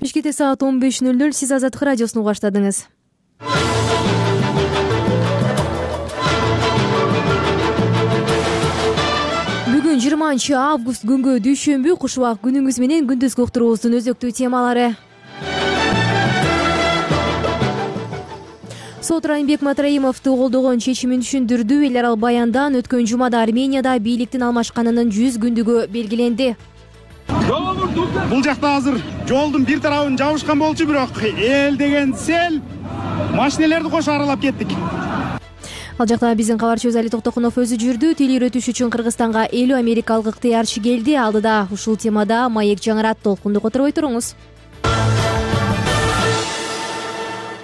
Бишкекте саат 15:00. Сиз Азаттык радиосун угуп баштадыңыз. Бүгүн 20-август күнгө дүйшөмбү. Куш убак күнүңүз менен күндүзгү уктуруубуздун өзөктүү темалары. Сот Райымбек Матраимовду колдогон чечимин түшүндүрдү. Эл аралык баяндан өткөн жумада Арменияда бийликтин алмашканынын 100 күндүгү белгиленди. Бул жакта азыр жолдун бир тарабын жабышкан болчу, бирок эл деген сел машинелерди кошо аралап кеттик. Ал жакта биздин кабарчыбыз Али Токтокунов өзү жүрдү. Тил үйрөтүш үчүн Кыргызстанга 50 америкалык ыктыярчы келди. Алдыда ушул темада маек жаңырат, толкунду которбой туруңуз.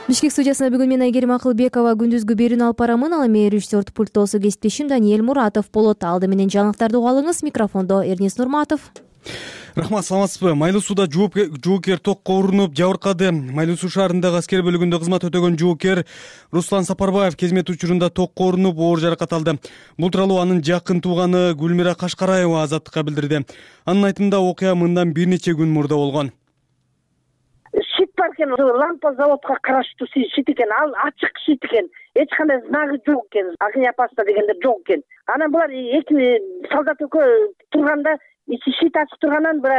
Бишкек студиясына бүгүн мен Айгерим Акылбекова күндүзгү берүүнү алып барамын. Ал эми режиссер пульттосу кесиптешим Даниэль Муратов болот. Алды менен жаңылыктарды угуп алыңыз. Микрофондо Эрнис Нурматов. Рахмат, саламатсызбы? Майлуу сууда жоокер токко урунуп жабыркады. Майлуу суу шаарындагы аскер бөлүгүндө кызмат өтөгөн жоокер Руслан Сапарбаев кезмет учурунда токко урунуп оор жаракат алды. Бул тууралуу анын жакын тууганы Гүлмира Кашкараева Азаттыкка билдирди. Анын айтымында окуя мындан бир нече күн мурда болгон. Шит бар экен, лампа заводко караштуу шит экен, ал ачык шит экен, эч кандай знагы жок экен, огня опасно дегендер жок экен. Анан булар эки солдат экөө турганда ичи шит ачык тургандан бир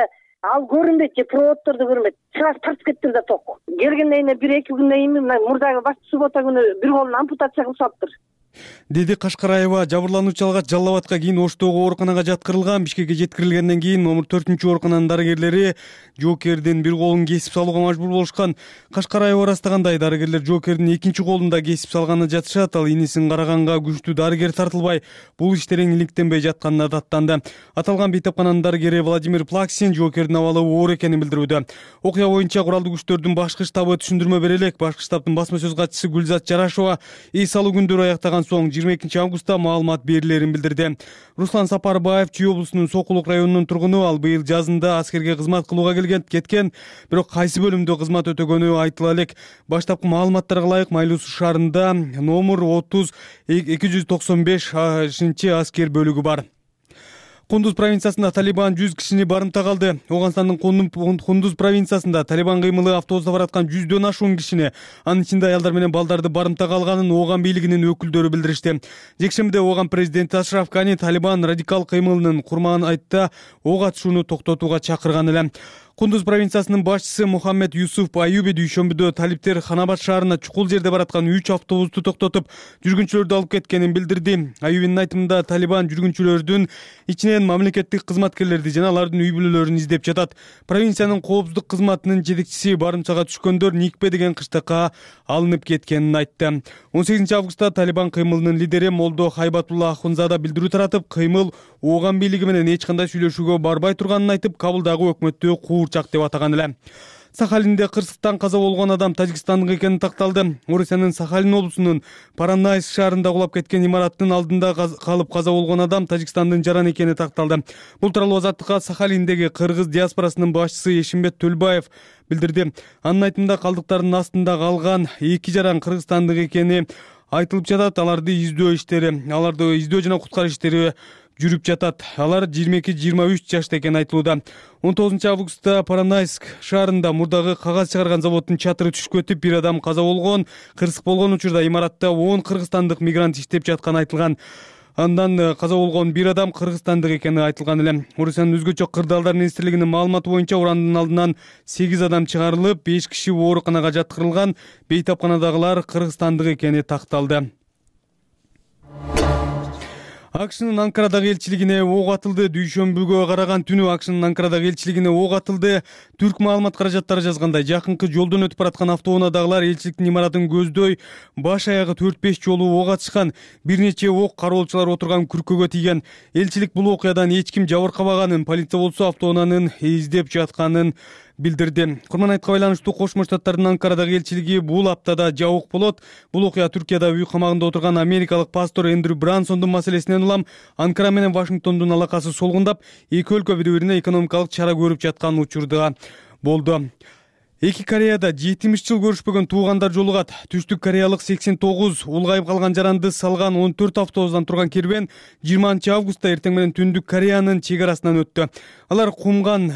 ал көрүнбөйт, же проводдорду көрүнбөйт. Сразу тартып кетти да ток. Келгенден кийин 1-2 күндөн кийин мурдагы башкы суббота күнү бир колун ампутация кылып салыптыр, деди Кашкараева. Жабырлануучу алгач Жалал Абадка, кийин Оштогу ооруканага жаткырылган. Бишкекке жеткирилгенден кийин номер 4-оорукананын дарыгерлери жоокердин бир колун кесип салууга мажбур болушкан. Кашкараева ырастагандай, дарыгерлер жоокердин экинчи колун да кесип салганына жатышат. Ал инисин караганга күчтүү дарыгер тартылбай, бул иштерин иликтенбей жатканына даттанды. Аталган бейтапкананын дарыгери Владимир Плаксин жоокердин абалы оор экенин билдирүүдө. Окуя боюнча куралдуу күчтөрдүн башкы штабы түшүндүрмө бере элек. Башкы штабтын басма сөз катчысы Гүлзат Жарашова эс алуу күндөрү аяктаган соң 22-августта маалымат берилерин билдирди. Руслан Сапарбаев Чүй облусунун Сокулук районунун тургуну. Ал быйыл жазында аскерге кызмат кылууга кеткен, бирок кайсы бөлүмдө кызмат өтөгөнү айтыла элек. Баштапкы маалыматтарга ылайык Майлуу суу шаарында номер 30-295 аскер бөлүгү бар. Кундуз провинциясында Талибан 100 кишини барымтага алды. Оганстандын Кундуз провинциясында Талибан кыймылы автобуста бараткан 100дөн ашуун кишини, анын ичинде аялдар менен балдарды барымтага алганын Оган бийлигинин өкүлдөрү билдиришти. Жекшембиде Оган президенти Ашраф Гани Талибан радикал кыймылынын курман айтта ок атышууну токтотууга чакырган эле. Кундуз провинциясынын башчысы Мухаммед Юсуф Аюби дүйшөмбүдө талиптер Ханабад шаарына чукул жерде бараткан 3 автобусту токтотуп, жүргүнчүлөрдү алып кеткенин билдирди. Аюбинин айтымында Талибан жүргүнчүлөрдүн ичинен мамлекеттик кызматкерлерди жана алардын үй бүлөлөрүн издеп жатат. Провинциянын коопсуздук кызматынын жетекчиси барымтага түшкөндөр Никпе деген кыштакка алынып кеткенин айтты. 18-августта Талибан кыймылынын лидери Молдо Хайбатулла Ахунзада билдирүү таратып, кыймыл Оган бийлиги менен эч кандай сүйлөшүүгө барбай турганын айтып, Кабылдагы өкмөттү куурчак деп атаган эле. Сахалинде кырсыктан каза болгон адам тажикстандык экени такталды. Орусиянын Сахалин облусунун Паранайск шаарында кулап кеткен имараттын алдында калып каза болгон адам Тажикстандын жаран экени такталды. Бул тууралуу Азаттыкка Сахалиндеги кыргыз диаспорасынын башчысы Эшимбет Төлбаев билдирди. Анын айтымында калдыктардын астында калган 2 жаран кыргызстандык экени айтылып жатат. Аларды издөө жана куткаруу иштери жүрүп жатат. Алар 22-23 жашта экени айтылууда. 19-августта Паранайск шаарында мурдагы кагаз чыгарган заводдун чатыры түшүп кетип, бир адам каза болгон. Кырсык болгон учурда имаратта 10 кыргызстандык мигрант иштеп жатканы айтылган. Андан каза болгон бир адам кыргызстандык экени айтылган эле. Орусиянын өзгөчө кырдаалдар министрлигинин маалыматы боюнча урандын алдынан 8 адам чыгарылып, 5 киши ооруканага жаткырылган. Бейтапканадагылар кыргызстандык экени такталды. АКШнын Анкарадагы элчилигине ок атылды. Дүйшөмбүгө караган түнү АКШнын Анкарадагы элчилигине ок атылды. Түрк маалымат каражаттары жазгандай, жакынкы жолдон өтүп бараткан автоунаадагылар элчиликтин имаратын көздөй баш аягы 4-5 жолу ок атышкан. Бир нече ок кароолчулар отурган күркөгө тийген. Элчилик бул окуядан эч ким жабыркабаганын, полиция болсо автоунаанын издеп жатканын билдирди. Курман айтка байланыштуу Кошмо Штаттардын Анкарадагы элчилиги бул аптада жабык болот. Бул окуя Түркияда үй камагында отурган америкалык пастор Эндрю Брансондун маселесинен улам Анкара менен Вашингтондун алакасы солгундап, эки өлкө бири-бирине экономикалык чара көрүп жаткан учурда болду. Эки Кореяда 70 жыл көрүшпөгөн туугандар жолугат. Түштүк кореялык 89 улгайып калган жаранды салган 14 автобустан турган керуен 20 августта эртең менен Түндүк Кореянын чек арасынан өттү. Алар Кумган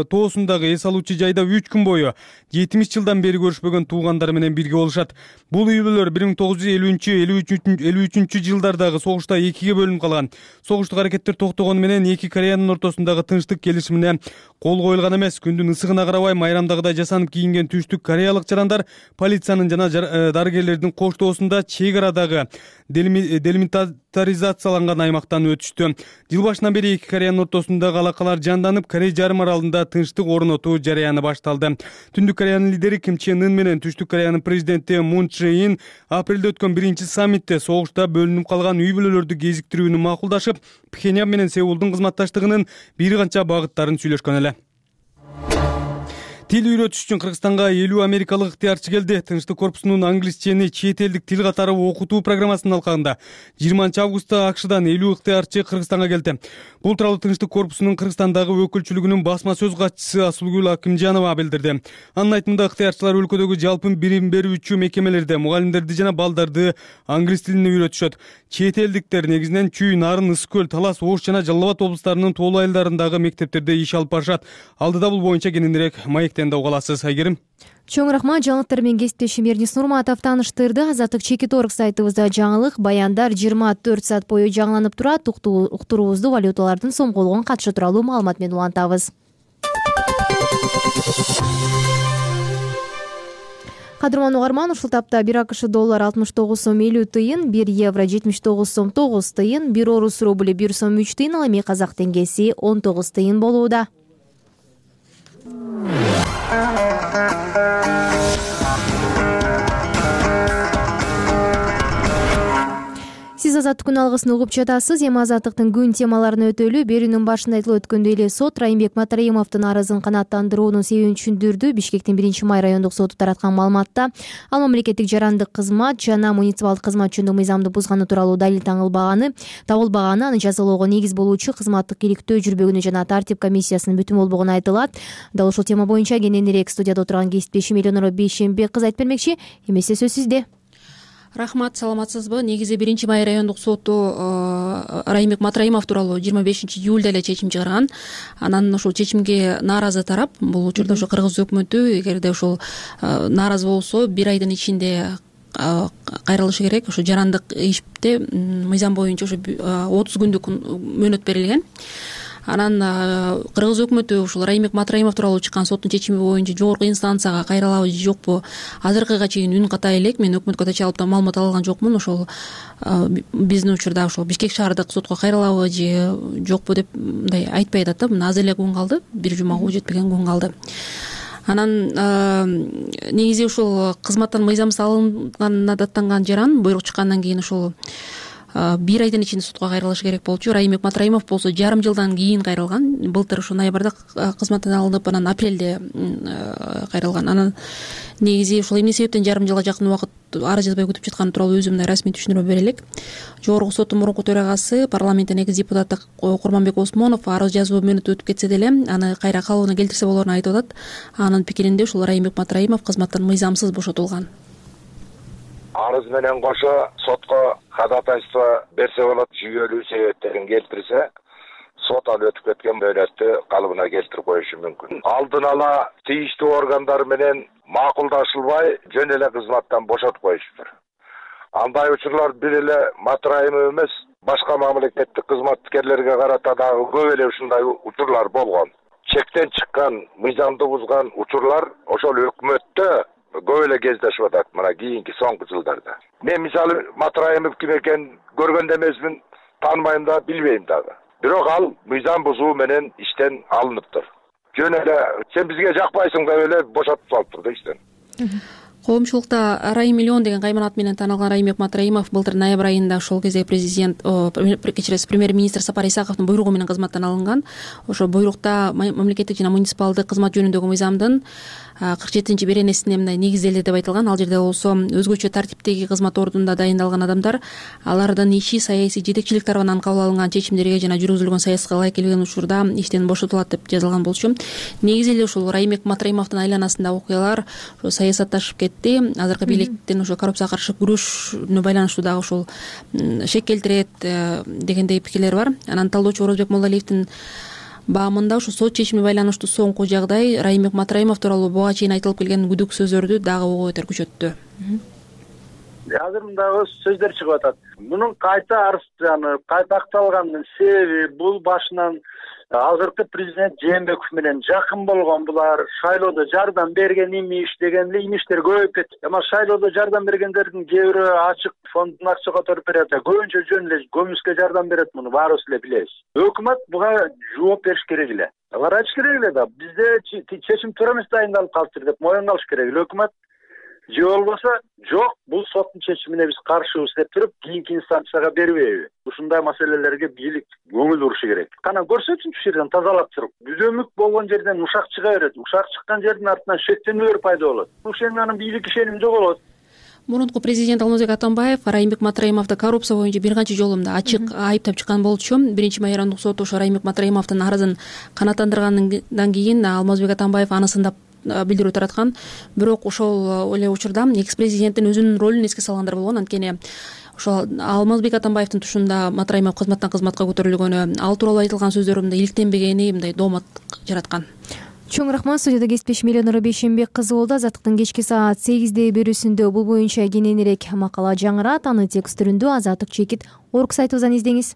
тоосундагы эс алуучу жайда 3 күн бою 70 жылдан бери көрүшпөгөн туугандары менен бирге болушат. Бул үй бүлөлөр 1950-53 жылдардагы согушта экиге бөлүнүп калган. Согуштук аракеттер токтогону менен эки Кореянын ортосундагы тынчтык келишимине кол коюлган эмес. Күндүн ысыгына карабай майрамдагыдай жасанып кийинген түштүк кореялык жарандар полициянын жана дарыгерлердин коштоосунда чек арадагы делимитаризацияланган аймактан өтүштү. Жыл башынан бери эки Кореянын ортосундагы алакалар жанданып, Корей жарым аралында тынчтык орнотуу жарыяны башталды. Түндүк Кореянын лидери Ким Чен Ын менен Түштүк Кореянын президенти Мун Чже Ин апрелде өткөн биринчи саммитте согушта бөлүнүп калган үй бүлөлөрдү кезиктирүүнү макулдашып, Пхеньян менен Сеулдун кызматташтыгынын бир канча багыттарын сүйлөшкөн эле. Тил үйрөтүш үчүн Кыргызстанга 50 америкалык ыктыярчы келди. Тынчтык корпусунун англисчени чет элдик тил катары окутуу программасынын алкагында 20 августта АКШдан 50 ыктыярчы Кыргызстанга келди. Бул тууралуу Тынчтык корпусунун Кыргызстандагы өкүлчүлүгүнүн басма сөз катчысы Асулгүл Акимжанова билдирди. Анын айтымында ыктыярчылар өлкөдөгү жалпы билим берүүчү мекемелерде мугалимдерди жана балдарды англис тилине үйрөтүшөт. Чет элдиктер негизинен Чүй, Нарын, Ысык көл, Талас, Ош жана Жалал Абад облустарынын тоолуу айылдарындагы мектептерде иш алып барышат. Алдыда бул боюнча кененирээк маектен да угаласыз, Айгерим. Чоң рахмат. Жаңылыктар менен кесиптешим Эрнис Нурматов тааныштырды. Азаттык Чекит.org сайтыбызда жаңылык, баяндар 24 саат бою жаңыланып турат. Уктуруубузду валюталардын сомголгон катышы тууралуу маалымат менен улантабыз. Кадырман угарман, ушул тапта 1 АКШ доллар 69 сом 50 тыйын, 1 евро 79 сом 9 тыйын, 1 орус рубль 1 сом 3 тыйын, ал эми казак теңгеси 19 тыйын болууда. Сиз Азаттык күн алгысын угуп жатасыз. Эми Азаттыктын күн темаларына өтөлү. Берүүнүн башында айтылып өткөндөй эле сот Райымбек Матраимовдун арызын канааттандыруунун себебин түшүндүрдү. Бишкектин 1-май райондук соту тараткан маалыматта ал мамлекеттик жарандык кызмат жана муниципалдык кызмат жөнүндө мыйзамды бузганы тууралуу далил табылбаганы, аны жазалоого негиз болуучу кызматтык иликтөө жүрбөгөнү жана тартип комиссиясынын бүтүн болбогону айтылат. Дал ушул тема боюнча кененирээк студияда отурган кесиптешим Элеонора Бейшембек кыз айтып бермекчи. Эмесе сөз сизде. Рахмат, саламатсызбы? Негизи 1-май райондук соту Райымбек Матраимов тууралуу 25 июлда эле чечим чыгарган. Анан ушул чечимге нааразы тарап, бул учурда ошо Кыргыз өкмөтү эгерде ушул нааразы болсо 1 айдын ичинде кайрылышы керек. Ошо жарандык иште мыйзам боюнча ошо 30 күндүк мөөнөт берилген. Анан Кыргыз өкмөтү ушул Райымбек Матраимов тууралуу чыккан соттун чечими боюнча жогорку инстанцияга кайрылабы же жокпу азыркыга чейин үн катай элек. Мен өкмөткө чалып да маалымат ала алган жокмун. Ошол биздин учурда ошол Бишкек шаардык сотко кайрылабы же жокпу деп мындай айтпай атат да. Мына азыр эле күн калды, бир жумага жетпеген күн калды. Анан негизи ушул кызматтан мыйзамсыз алынганына даттанган жаран буйрук чыккандан кийин ушул 1 айдын ичинде сотко кайрылышы керек болчу. Райымбек Матраимов болсо жарым жылдан кийин кайрылган. Былтыр ушу ноябрда кызматтан алынып, анан апрелде кайрылган. Анан негизи ушул эмне себептен жарым жылга жакын убакыт арыз жазбай күтүп жатканы тууралуу өзүм мындай расмий түшүндүрмө бере элек. Жогорку соттун мурунку төрагасы, парламенттин экс депутаты Курманбек Осмонов арыз жазуу мөөнөтү өтүп кетсе деле аны кайра калыбына келтирсе болоорун айтып атат. Анын пикиринде ушул Райымбек Матраимов кызматтан мыйзамсыз бошотулган. Арыз менен кошо сотко ходатайство берсе болот, жүйөлүү себептерин келтирсе, сот ал өтүп кеткен мөөнөттү калыбына келтирип коюшу мүмкүн. Алдын ала тийиштүү органдар менен макулдашылбай жөн эле кызматтан бошотуп коюшуптур. Андай учурлар бир эле Матраимов эмес, башка мамлекеттик кызматкерлерге карата дагы көп эле ушундай учурлар болгон. Чектен чыккан, мыйзамды бузган учурлар ошол өкмөттө көп эле кездешип атат мына кийинки соңку жылдарда. Мен мисалы Матраимов ким экенин көргөн да эмесмин, тааныбайм да, билбейм дагы. Бирок ал мыйзам бузуу менен иштен алыныптыр. Жөн эле сен бизге жакпайсың деп эле бошотуп салыптыр да иштен. Коомчулукта Арай миллион деген кайман ат менен таанылган Райымбек Матраимов былтыр ноябрь айында ошол кезде премьер-министр Сапар Исаковдун буйругу менен кызматтан алынган. Ошо буйрукта мамлекеттик жана муниципалдык кызмат жөнүндөгү мыйзамдын 47 беренесине мындай негизделди деп айтылган. Ал жерде болсо өзгөчө тартиптеги кызмат ордунда дайындалган адамдар алардын иши саясий жетекчилик тарабынан кабыл алынган чечимдерге жана жүргүзүлгөн саясатка ылайык келбеген учурда иштен бошотулат деп жазылган болчу. Негизи эле ушул Райымбек Матраимовдун айланасындагы окуялар ошо саясатташып кетти. Азыркы бийликтин ошо коррупцияга каршы күрөшүнө байланыштуу дагы ушул шек келтирет дегендей пикирлер бар. Анан талдоочу Орозбек Молдалиевдин баамында ушу сот чечимине байланыштуу соңку жагдай Райымбек Матраимов тууралуу буга чейин айтылып келген күдүк сөздөрдү дагы ого бетер күчөттү. Азыр мындагы сөздөр чыгып атат. Мунун кайта арызданып, кайта акталганын себеби бул башынан азыркы президент Жээнбеков менен жакын болгон булар шайлоодо жардам берген имиш деген эле имиштер көбөйүп кетти. Ама шайлоодо жардам бергендердин кээ бирөө ачык фондун акча которуп берет, көбүнчө жөн эле көмүскө жардам берет, муну баарыбыз эле билебиз. Өкмөт буга жооп бериш керек эле. Алар айтыш керек эле да, бизде чечим туура эмес дайындалып калыптыр деп моюнга алыш керек эле өкмөт. Же болбосо жок, бул соттун чечимине биз каршыбыз деп туруп, кийинки инстанцияга бербейби? Ушундай маселелерге бийлик көңүл бурушу керек. Кана көрсөтсүнчү ушул жерден тазалап туруп. Бүзөмүк болгон жерден ушак чыга берет. Ушак чыккан жердин артынан шектенүүлөр пайда болот. Ушунун бийлик ишеними жоголот. Мурунку президент Алмазбек Атамбаев Райымбек Матраимовду коррупция боюнча бир канча жолу ачык айыптап чыккан болчу. Биринчи майрандык сот ошо Райымбек Матраимовдун арызын канааттандыргандан кийин Алмазбек Атамбаев анысын да билдирүү тараткан. Бирок ошол эле учурда экс-президенттин өзүнүн ролун эске салгандар болгон. Анткени ошол Алмазбек Атамбаевдин тушунда Матраимов кызматтан кызматка көтөрүлгөнү, ал тууралуу айтылган сөздөрү мындай иликтенбегени мындай доомат жараткан. Чоң рахмат. Студияда кесиптешим Эленора Бейшенбек кызы болду. Азаттыктын кечки саат 8-де берүүсүндө бул боюнча кененирээк макала жаңырат. Аны текст түрүндө Азаттык чекит орг сайтыбыздан издеңиз.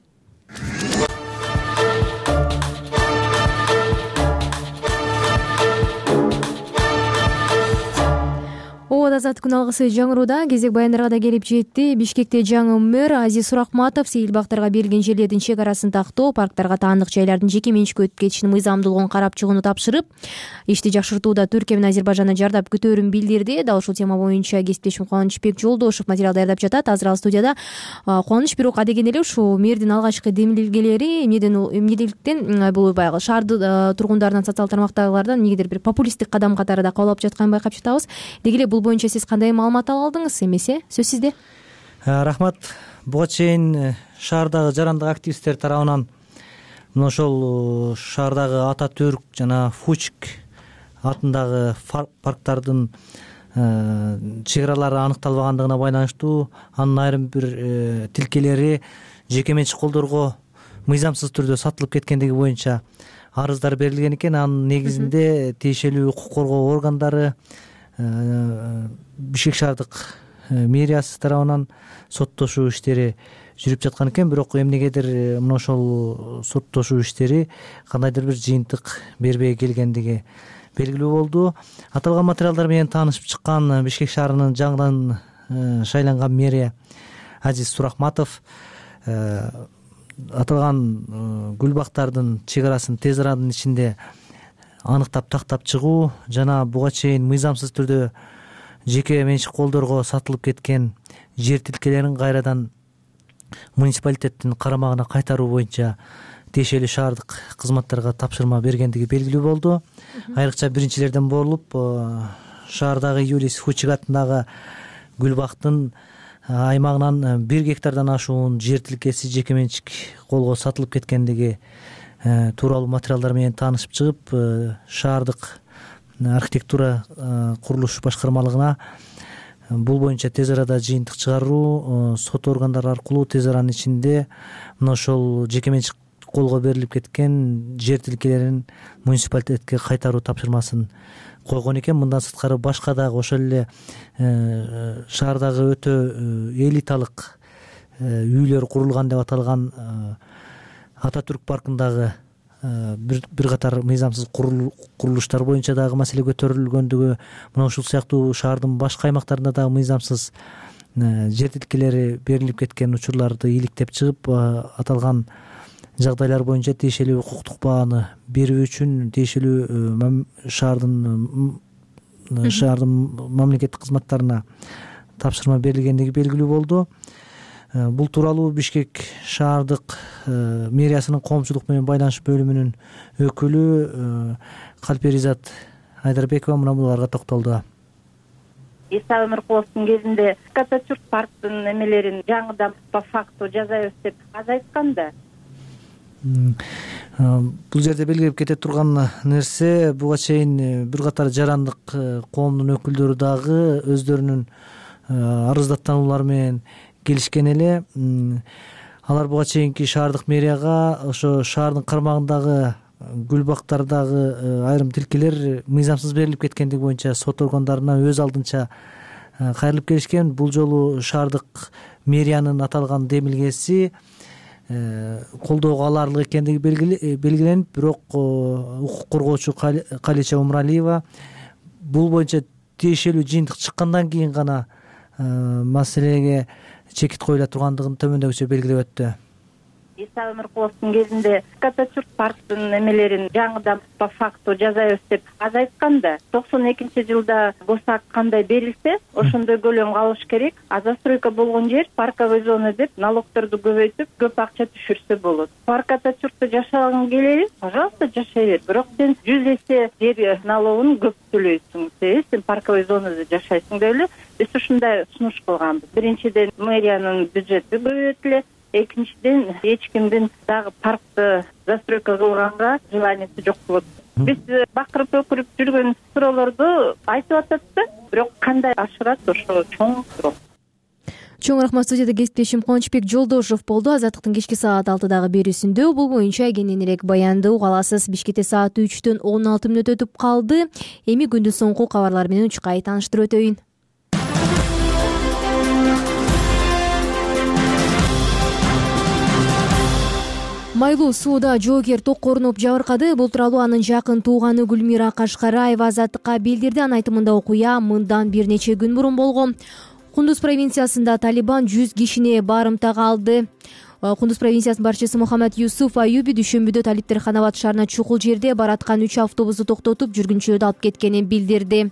Азаттык күн алгысы жаңырууда кезек баяндарга да келип жетти. Бишкекте жаңы мэр Азиз Суракматов сейил бактарга берилген жерлердин чек арасын тактоо, парктарга таандык жайлардын жеке менчикке өтүп кетишинин мыйзамдуулугун карап чыгууну тапшырып, ишти жакшыртууда Түркия менен Азербайжанга жардап күтөөрүн билдирди. Дал ушул тема боюнча кесиптешим Кубанычбек Жолдошев материал даярдап жатат. Азыр ал студияда. Кубаныч, бирок адегенде эле ушул мэрдин алгачкы демилгелери эмнеликтен бул баягы шаар тургундарынан, социалдык тармактагылардан эмнегедир бир популисттик кадам катары да кабыл алып жатканын байкап жатабыз. Деги эле бул боюнча сиз кандай маалымат ала алдыңыз? Эмесе сөз сизде. Рахмат. Буга чейин шаардагы жарандык активисттер тарабынан мына ошол шаардагы Ататүрк жана Фучик атындагы парктардын чек аралары аныкталбагандыгына байланыштуу анын айрым бир тилкелери жеке менчик колдорго мыйзамсыз түрдө сатылып кеткендиги боюнча арыздар берилген экен. Анын негизинде тиешелүү укук коргоо органдары, Бишкек шаардык мэриясы тарабынан соттошуу иштери жүрүп жаткан экен. Бирок эмнегедир мына ошол соттошуу иштери кандайдыр бир жыйынтык бербей келгендиги белгилүү болду. Аталган материалдар менен таанышып чыккан Бишкек шаарынын жаңыдан шайланган мэри Азиз Суракматов аталган гүл бактардын чек арасын тез аранын ичинде аныктап тактап чыгуу жана буга чейин мыйзамсыз түрдө жеке менчик колдорго сатылып кеткен жер тилкелерин кайрадан муниципалитеттин карамагына кайтаруу боюнча тиешелүү шаардык кызматтарга тапшырма бергендиги белгилүү болду. Айрыкча биринчилерден болуп шаардагы Юлис Фучик атындагы гүл бактын аймагынан 1 гектардан ашуун жер тилкеси жеке менчик колго сатылып кеткендиги тууралуу материалдар менен таанышып чыгып, шаардык архитектура курулуш башкармалыгына бул боюнча тез арада жыйынтык чыгаруу, сот органдары аркылуу тез аранын ичинде мына ошол жеке менчик колго берилип кеткен жер тилкелерин муниципалитетке кайтаруу тапшырмасын койгон экен. Мындан сырткары башка дагы ошол эле шаардагы өтө элиталык үйлөр курулган деп аталган Ататүрк паркындагы бир катар мыйзамсыз курулуштар боюнча дагы маселе көтөрүлгөндүгү, мына ушул сыяктуу шаардын башка аймактарында дагы мыйзамсыз жер тилкелери берилип кеткен учурларды иликтеп чыгып, аталган жагдайлар боюнча тиешелүү укуктук бааны берүү үчүн тиешелүү шаардын шаардын мамлекеттик кызматтарына тапшырма берилгендиги белгилүү болду. Бул тууралуу Бишкек шаардык мэриясынын коомчулук менен байланыш бөлүмүнүн өкүлү Калперизат Айдарбекова мына буларга токтолду. Иса Өмүркуловдун кезинде Ататюрк парктын эмелерин жаңыдан по факту жасайбыз деп аз айткан да. Бул жерде белгилеп кете турган нерсе, буга чейин бир катар жарандык коомдун өкүлдөрү дагы өздөрүнүн арыздаттануулары менен келишкен эле. Алар буга чейинки шаардык мэрияга ошо шаардын кармагындагы гүл бактардагы айрым тилкелер мыйзамсыз берилип кеткендиги боюнча сот органдарына өз алдынча кайрылып келишкен. Бул жолу шаардык мэриянын аталган демилгеси колдоого аларлык экендиги белгиленип, бирок укук коргоочу Калича Умралиева бул боюнча тиешелүү жыйынтык чыккандан кийин гана маселеге чекит коюла тургандыгын төмөндөгүчө белгилеп өттү. Иса Өмүркуловдун кезинде Ататюрк парктын эмелерин жаңыдан по факту жасайбыз деп аз айткан да. 92-жылда босак кандай берилсе, ошондой көлөм калыш керек. А застройка болгон жер парковый зона деп налогторду көбөйтүп, көп акча түшүрсө болот. Парк Ататюркта жашагың келели, пожалуйста, жашай бер. Бирок сен 100 эсе жер налогун көп төлөйсүң. Сен парковый зонада жашайсың деп эле биз ушундай сунуш кылганбыз. Биринчиден мэриянын бюджети көбөйтүлөт. Экинчиден эч кимдин дагы паркты застройка кылганга желаниясы жок болот. Биз бакырып өкүрүп жүргөн суроолорду айтып атат да, бирок кандай ашырат ошо чоң суроо. Чоң рахмат. Студияда кесиптешим Кубанычбек Жолдошов болду. Азаттыктын кечки саат 6дагы берүүсүндө бул боюнча кененирээк баянды уга аласыз. Бишкекте саат 3-төн 16 мүнөт өтүп калды. Эми күндүн соңку кабарлар менен учкай тааныштырып өтөйүн. Майлуу сууда жоокер ток корунуп жабыркады. Бул тууралуу анын жакын тууганы Гүлмира Кашкараева Азаттыкка билдирди. Анын айтымында окуя мындан бир нече күн мурун болгон. Кундуз провинциясында Талибан 100 кишини барымтага алды. Кундуз провинциясынын башчысы Мухаммад Юсуф Аюби дүйшөмбүдө Талиптер Ханабад шаарына чукул жерде бараткан 3 автобусту токтотуп жүргүнчүлөрдү алып кеткенин билдирди.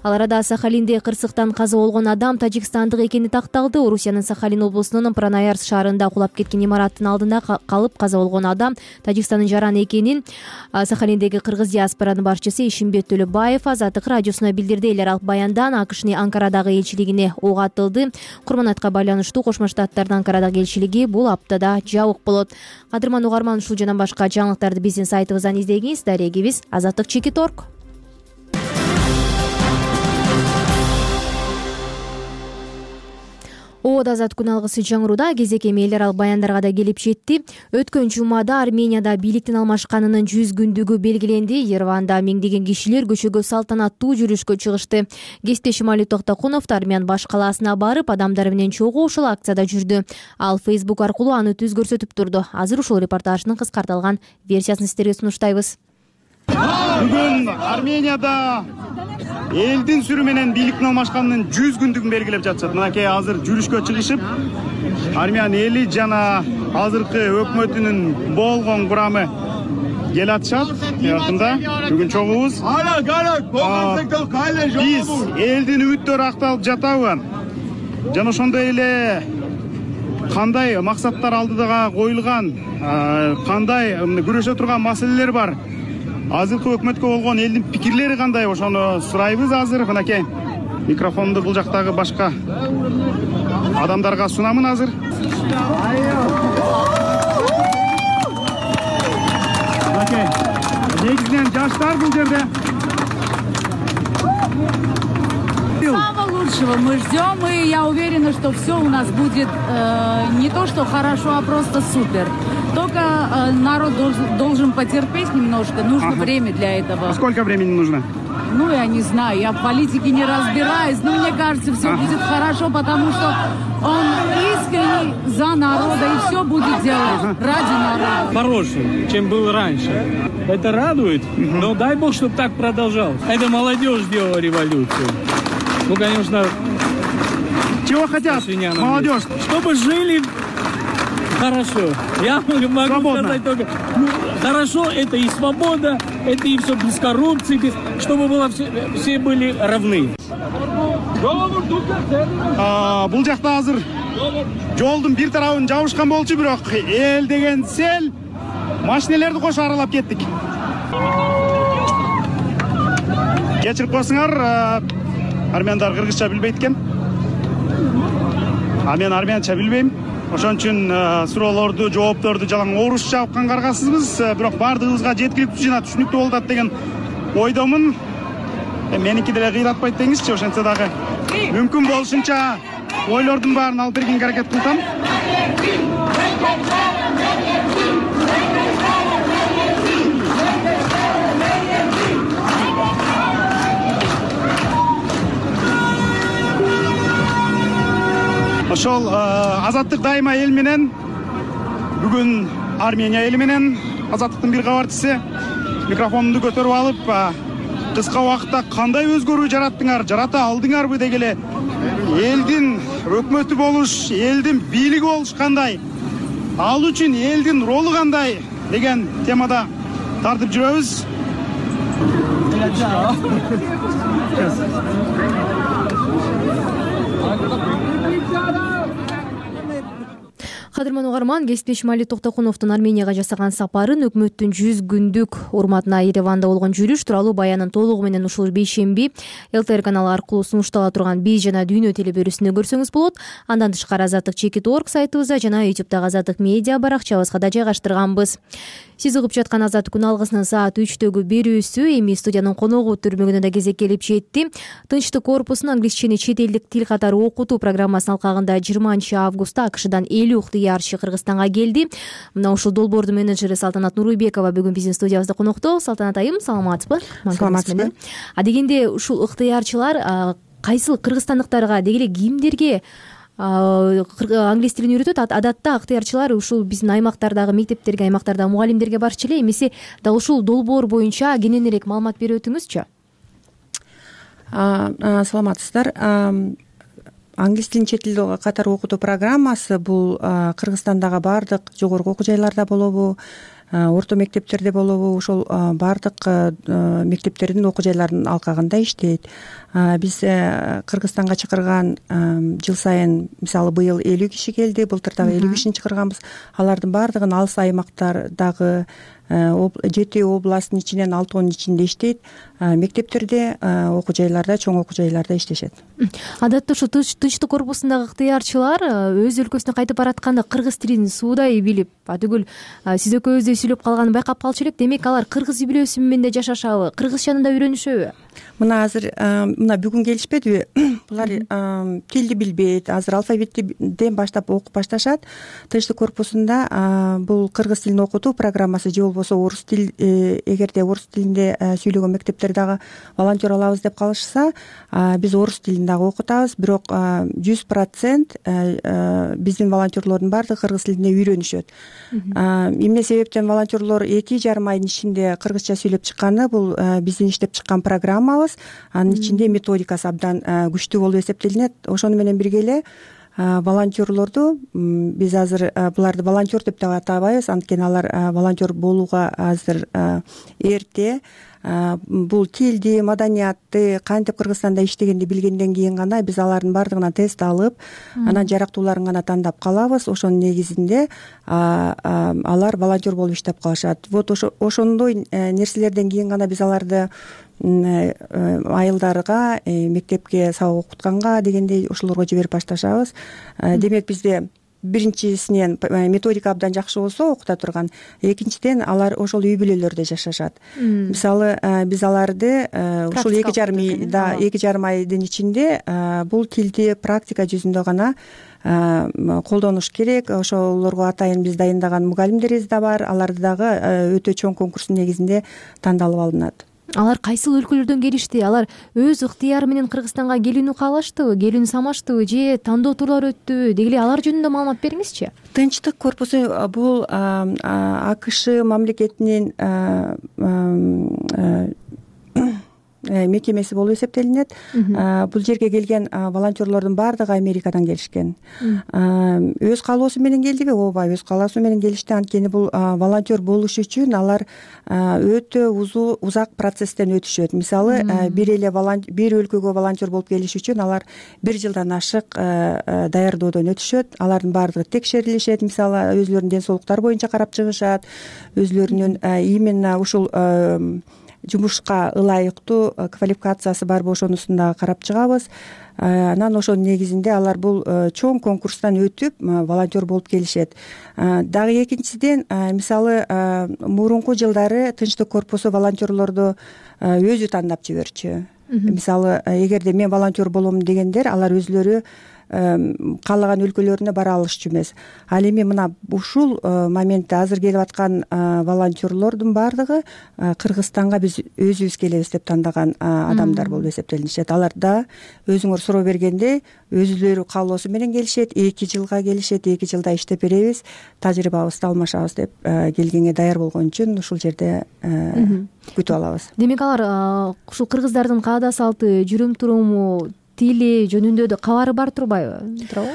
Ал арада Сахалинде кырсыктан каза болгон адам тажикстандык экени такталды. Орусиянын Сахалин облусунун Пранаярс шаарында кулап кеткен имараттын алдында калып каза болгон адам Тажикстандын жаран экенин Сахалиндеги кыргыз диаспоранын башчысы Ишимбет Төлөбаев Азаттык радиосуна билдирди. Элер ал баяндан АКШнын Анкарадагы элчилигине ок атылды. Курманайтка байланыштуу Кошмо Штаттардын Анкарадагы элчилиги бул аптада жабык болот. Кадырман угарман, ушул жана башка жаңылыктарды биздин сайтыбыздан издегиңиз. Дарегибиз azattik.org. Ободо азат күн алгысы жаңыруда кезеке эл аралык баяндарга да келип жетти. Өткөн жумада Арменияда бийликтин алмашканынын 100 күндүгү белгиленди. Ереванда миңдеген кишилер көчөгө салтанаттуу жүрүшкө чыгышты. Кесиптешим Али Токтокунов Армян баш калаасына барып, адамдар менен чогуу ушул акцияда жүрдү. Ал Facebook аркылуу аны түз көрсөтүп турду. Азыр ушул репортаждын кыскартылган версиясын сиздерге сунуштайбыз. Бүгүн Арменияда элдин сүрү менен бийликтин алмашканынын 100 күндүгүн белгилеп жатышат. Мынакей азыр жүрүшкө чыгышып, Армян эли жана азыркы өкмөтүнүн болгон курамы келатышат. Якында бүгүн чогуубуз. Биз элдин үмүттөрү акталып жатабы? Жана ошондой эле кандай максаттар алдыга коюлган, кандай күрөшө турган маселелер бар? Азыркы өкмөткө болгон элдин пикирлери кандай? Ошону сурайбыз азыр. Мынакей микрофонду бул жактагы башка адамдарга сунамын азыр. Мынакей негизинен жаштар бул жерде. Самого лучшего мы ждем, и я уверена, что все у нас будет не то что хорошо, а просто супер. Только народ должен потерпеть немножко, нужно время для этого. А сколько времени нужно? Ну, я не знаю, я в политике не разбираюсь, но мне кажется, все будет хорошо, потому что он искренний за народа и все будет делать ради народа. Хороший, чем был раньше. Это радует, но дай бог, чтобы так продолжалось. Это молодежь сделала революцию. Ну, конечно... Чего хотят молодежь? Чтобы жили хорошо. Я могу сказать только, хорошо, это и свобода, это и все без коррупции, чтобы было все были равны. Бул жакта азыр жолдун бир тарабын жабышкан болчу, бирок эл деген сел машинелерди кошо аралап кеттик. Кечирип койсуңар, армяндар кыргызча билбейт экен. Мен армянча билбейм. Ошон үчүн суроолорду, жоопторду жалаң орусча уккан каргасызбыз, бирок баардыгыбызга жеткиликтүү жана түшүнүктүү болуп атат деген ойдомун. Меники деле кыйратпайт деңизчи, ошентсе дагы мүмкүн болушунча ойлордун баарын алып бергенге аракет кылсам. Ошол Азаттык дайыма эл менен, бүгүн Армения эли менен Азаттыктын бир кабарчысы микрофонду көтөрүп алып, кыска убакытта кандай өзгөрүү жараттыңар, жарата алдыңарбы деги эле элдин өкмөтү болуш, элдин бийлиги болуш кандай, ал үчүн элдин ролу кандай деген темада тартып жүрөбүз. Кадырман угарман, кесиптеш Мали Токтокуновдун Арменияга жасаган сапарын, өкмөттүн 100 күндүк урматына Ереванда болгон жүрүш тууралуу баянын толугу менен ушул бейшемби ЛТР каналы аркылуу сунуштала турган биз жана дүйнө телебөрүсүндө көрсөңүз болот. Андан тышкары Азаттык.org сайтыбызда жана YouTube'дагы Азаттык медиа баракчабызга да жайгаштырганбыз. Сиз угуп жаткан Азаттык күн алгысынын саат 3-төгү берүүсү эми студиянын коногу түрмөгүнө да кезек келип жетти. Тынчтык корпусунун англисчени чет элдик тил катары окутуу программасынын алкагында 20-августта АКШдан 50 ыктыярчы Кыргызстанга келди. Мына ушул долбоордун менеджери Салтанат Нурбекова бүгүн биздин студиябызда конокто. Салтанат айым, саламатсызбы? Саламатсызбы. Дегенде ушул ыктыярчылар кайсыл кыргызстандыктарга, деги эле кимдерге англис тилин үйрөтөт? Адатта ыктыярчылар ушул биздин аймактардагы мектептерге, аймактардагы мугалимдерге барчу эле. Эмесе дал ушул долбоор боюнча кененирээк маалымат берип өтүңүзчү. Саламатсыздар. Англис тилин чет тил катары окутуу программасы бул Кыргызстандагы баардык жогорку окуу жайларда болобу, орто мектептерде болобу, ошол баардык мектептердин окуу жайларынын алкагында иштейт. Биз Кыргызстанга чакырган жыл сайын, мисалы быйыл 50 киши келди, былтыр дагы 50 кишини чакырганбыз. Алардын баардыгын алыс аймактардагы 7 областтын ичинен 6-н ичинде иштейт. Мектептерде, окуу жайларда, чоң окуу жайларда иштешет. Адатта ушу Тынчтык корпусундагы ыктыярчылар өз өлкөсүнө кайтып баратканда кыргыз тилин суудай билип, атүгүл сиз экөөбүздөй сүйлөп калганын байкап калчу элек. Демек алар кыргыз үй бүлөсү менен да жашашабы, кыргызчаны да үйрөнүшөбү? Мына азыр бүгүн келишпедиби? Булар тилди билбейт. Азыр алфавиттен баштап окуп башташат. Тынчтык корпусунда бул кыргыз тилин окутуу программасы же болбосо орус тил, эгерде орус тилинде сүйлөгөн мектептер дагы волонтер алабыз деп калышса, биз орус тилин дагы окутабыз. Бирок 100% биздин волонтерлордун баардыгы кыргыз тилинде үйрөнүшөт. Эмне себептен волонтерлор 2,5 айдын ичинде кыргызча сүйлөп чыкканы, бул биздин иштеп чыккан программабыз. Анын ичинде методикасы абдан күчтүү болуп эсептелинет. Ошону менен бирге эле волонтерлорду биз азыр буларды волонтер деп да атабайбыз, анткени алар волонтер болууга азыр эрте. Бул тилди, маданиятты кантип Кыргызстанда иштегенди билгенден кийин гана биз алардын баардыгынан тест алып, анан жарактууларын гана тандап калабыз. Ошонун негизинде алар волонтер болуп иштеп калышат. Вот ошондой нерселерден кийин гана биз аларды айылдарга, мектепке сабак окутканга дегендей ошолорго жиберип башташабыз. Демек бизде биринчисинен методика абдан жакшы болсо окута турган, экинчиден алар ошол үй бүлөлөрдө жашашат. Мисалы биз аларды ушул 2,5 айдын ичинде бул тилди практика жүзүндө гана колдонуш керек. Ошолорго атайын биз дайындаган мугалимдерибиз да бар. Аларды дагы өтө чоң конкурстун негизинде тандалып алынат. Алар кайсыл өлкөлөрдөн келишти? Алар өз ыктыяры менен Кыргызстанга келүүнү каалаштыбы, келүүнү самаштыбы же тандоо тууралуу өттүбү? Деги эле алар жөнүндө маалымат бериңизчи. Тынчтык корпусу бул АКШ мамлекетинин мекемеси болуп эсептелинет. Бул жерге келген волонтерлордун баардыгы Америкадан келишкен. Өз каалоосу менен келдиби? Ооба, өз каалоосу менен келишти. Анткени бул волонтер болуш үчүн алар өтө узак процесстен өтүшөт. Мисалы, бир өлкөгө волонтер болуп келиш үчүн алар 1 жылдан ашык даярдоодон өтүшөт. Алардын баардыгы текшерилишет. Мисалы, өзүлөрүнүн ден соолуктары боюнча карап чыгышат. Өзүлөрүнүн именно ушул жумушка ылайыктуу квалификациясы барбы ошонусун дагы карап чыгабыз. Анан ошонун негизинде алар бул чоң конкурстан өтүп волонтер болуп келишет. Дагы экинчиден, мисалы, мурунку жылдары Тынчтык корпусу волонтерлорду өзү тандап жиберчү. Мисалы, эгерде мен волонтер болом дегендер, алар өзүлөрү каалаган өлкөлөрүнө бара алышчу эмес. Ал эми мына ушул моментте азыр келип аткан волонтерлордун баардыгы Кыргызстанга биз өзүбүз келебиз деп тандаган адамдар болуп эсептелинишет. Алар да өзүңөр суроо бергендей өзүлөрү каалоосу менен келишет, 2 жылга келишет, 2 жылда иштеп беребиз, тажрыйбабызды алмашабыз деп келгенге даяр болгон үчүн ушул жерде күтүп алабыз. Демек алар ушул кыргыздардын каада салты, жүрүм туруму, тили жөнүндө кабары бар турбайбы? Туурабы?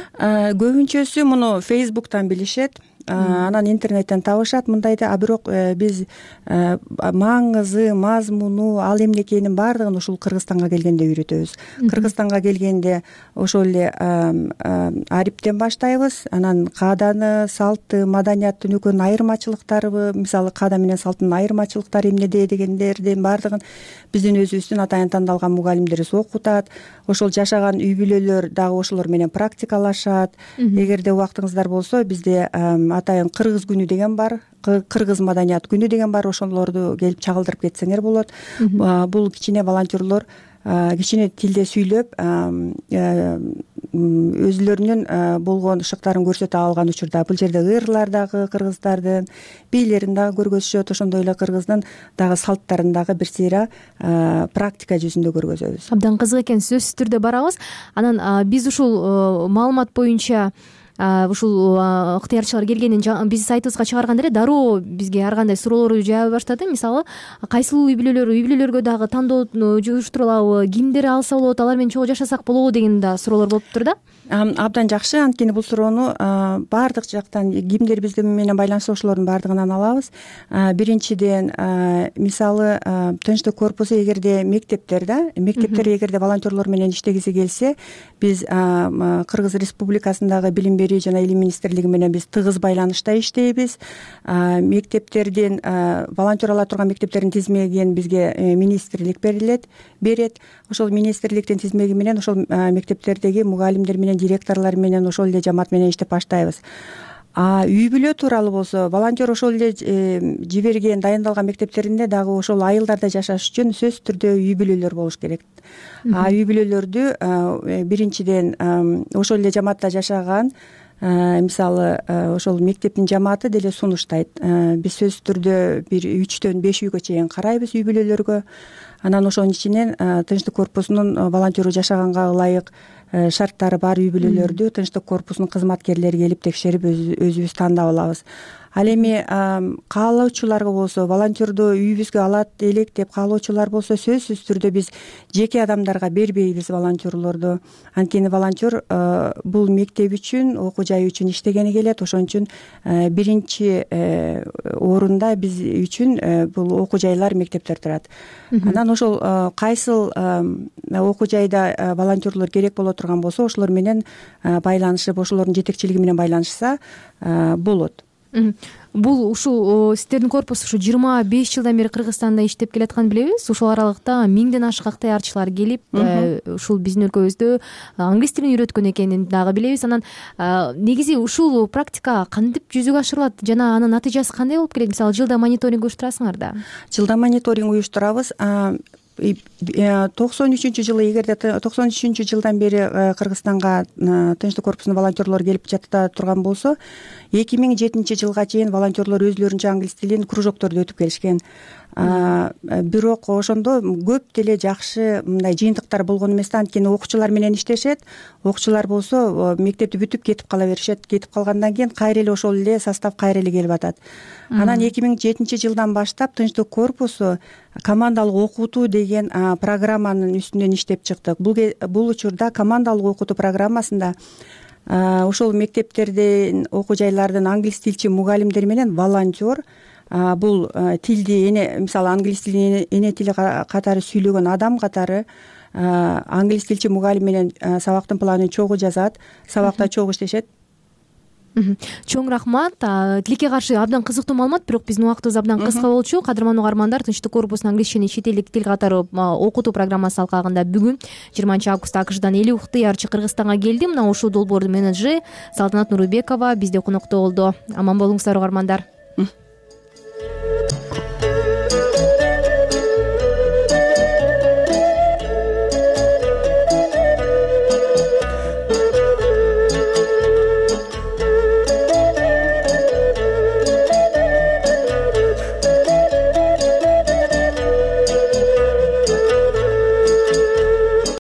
Көбүнчөсү муну Facebook'тан билишет. Анан интернеттен табышат мындайды. А бирок биз маңызы, мазмуну, ал эмне экенин баардыгын ушул Кыргызстанга келгенде үйрөтөбүз. Кыргызстанга келгенде ошол эле ариптен баштайбыз. Анан кааданы, салты, маданияттын экөөнүн айырмачылыктары, мисалы каада менен салттын айырмачылыктары эмнеде дегендердин баардыгын биздин өзүбүздүн атайын тандалган мугалимдерибиз окутат. Ошол жашаган үй бүлөлөр дагы ошолор менен практикалашат. Эгерде убактыңыздар болсо, бизде атайын кыргыз күнү деген бар, кыргыз маданият күнү деген бар. Ошолорду келип чагылдырып кетсеңер болот. Бул кичине волонтерлор кичине тилде сүйлөп өзүлөрүнүн болгон шыктарын көрсөтө алган учурда бул жерде ырлар дагы кыргыздардын бийлерин дагы көргөзүшөт. Ошондой эле кыргыздын дагы салттарын дагы бир сыйра практика жүзүндө көргөзөбүз. Абдан кызык экен, сөзсүз түрдө барабыз. Анан биз ушул маалымат боюнча ушул ыктыярчылар келгенден биз сайтыбызга чыгарганда эле дароо бизге ар кандай суроолорду жаабай баштады. Мисалы, кайсыл үй бүлөлөргө дагы тандоо жуюштурулабы, кимдер алса болот, алар менен чогуу жашасак болобу деген да суроолор болуптур да. Абдан жакшы. Анткени бул суроону баардык жактан кимдер биз менен байланышса ошолордун баардыгынан алабыз. Биринчиден, мисалы, Тынчтык корпусу эгерде мектептер эгерде волонтерлор менен иштегиси келсе, биз Кыргыз Республикасындагы билим берүү жана илим министрлиги менен биз тыгыз байланышта иштейбиз. Мектептердин волонтер ала турган мектептердин тизмегин бизге министрлик берет. Ошол министрликтин тизмеги менен ошол мектептердеги мугалимдер менен, директорлор менен, ошол эле жамаат менен иштеп баштайбыз. Үй бүлө тууралуу болсо, волонтер ошол эле жиберген, дайындалган мектептеринде дагы ошол айылдарда жашаш үчүн сөзсүз түрдө үй бүлөлөр болуш керек. Үй бүлөлөрдү биринчиден ошол эле жамаатта жашаган, мисалы, ошол мектептин жамааты деле сунуштайт. Биз сөзсүз түрдө бир 3-төн 5 үйгө чейин карайбыз үй бүлөлөргө. Анан ошонун ичинен Тынчтык корпусунун волонтеру жашаганга ылайык шарттары бар үй бүлөлөрдү Тынчтык корпусунун кызматкерлери келип текшерип өзүбүз тандап алабыз. Ал эми каалоочуларга болсо, волонтерду үйүбүзгө алат элек деп каалоочулар болсо, сөзсүз түрдө биз жеке адамдарга бербейбиз волонтерлорду. Анткени волонтер бул мектеп үчүн, окуу жай үчүн иштегени келет. Ошон үчүн биринчи орунда биз үчүн бул окуу жайлар, мектептер турат. Анан ошол кайсыл окуу жайда волонтерлор керек боло турган болсо, ошолор менен байланышып, ошолордун жетекчилиги менен байланышса болот. Бул ушул сиздердин корпус ушу 25 жылдан бери Кыргызстанда иштеп келатканын билебиз. Ушул аралыкта 1000ден ашык ыктыярчылар келип, ушул биздин өлкөбүздө англис тилин үйрөткөн экенин дагы билебиз. Анан негизи ушул практика кантип жүзүгө ашырылат жана анын натыйжасы кандай болуп келет? Мисалы, жылда мониторинг уюштурасыңар да? Жылда мониторинг уюштурабыз. 93-жылы, эгерде 93-жылдан бери Кыргызстанга Тынчтык корпусунун волонтерлору келип жата турган болсо, 2007-жылга чейин волонтерлор өзүлөрүнчө англис тилин кружокторду өтүп келишкен. бирок ошондо көп деле жакшы мындай жыйынтыктар болгон эмес да, анткени окуучулар менен иштешет. Окуучулар болсо мектепти бүтүп кетип кала беришет. Кетип калгандан кийин кайра эле ошол эле состав кайра эле келип атат. Анан 2007-жылдан баштап Тынчтык корпусу командалык окутуу деген программанын үстүнөн иштеп чыктык. Бул учурда командалык окутуу программасында ошол мектептердин, окуу жайлардын англис тилчи мугалимдери менен волонтер, бул тилди мисалы англис тилин эне тили катары сүйлөгөн адам катары англис тилчи мугалим менен сабактын планын чогуу жазат, сабакта чогуу иштешет. Чоң рахмат. Тилекке каршы абдан кызыктуу маалымат, бирок биздин убактыбыз абдан кыска болчу. Кадырман угармандар, Тынчтык корпусунун англис жана чет элдик тил катары окутуу программасы алкагында бүгүн 20-августта АКШдан Эли Ухтыярчы Кыргызстанга келди. Мына ушул долбоордун менеджери Салтанат Нурбекова бизде конокто болду. Аман болуңуздар угармандар.